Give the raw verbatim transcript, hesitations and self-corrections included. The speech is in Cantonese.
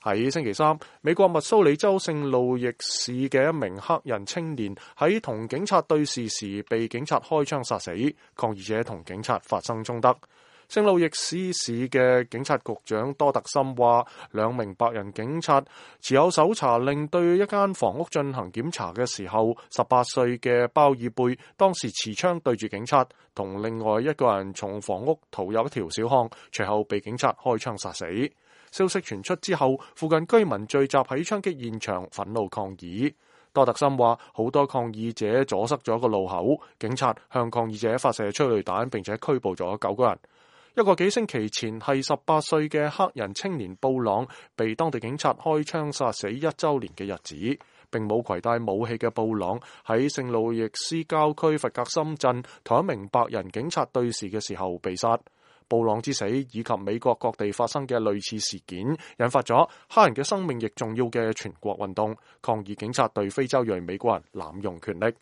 喺星期三，美國密蘇里州聖路易市嘅一名黑人青年喺同警察對峙時被警察開槍殺死，抗議者同警察發生衝突。聖路易斯市嘅警察局長多特森話，兩名白人警察持有搜查令對一間房屋進行檢查嘅時候，十八歲嘅鮑爾貝當時持槍對住警察，同另外一個人從房屋逃入一條小巷，隨後被警察開槍殺死。消息傳出之後，附近居民聚集喺槍擊現場，憤怒抗議。多特森話，好多抗議者阻塞咗個路口，警察向抗議者發射催淚彈，並且拘捕咗九個人。一個幾星期前係十八歲嘅黑人青年布朗被當地警察開槍殺死一週年嘅日子，並冇攜帶武器嘅布朗喺聖路易斯郊區弗格森鎮同一名白人警察對峙嘅時候被殺。布朗之死以及美國各地發生嘅類似事件，引發咗黑人嘅生命亦重要嘅全國運動，抗議警察對非洲裔美國人濫用權力。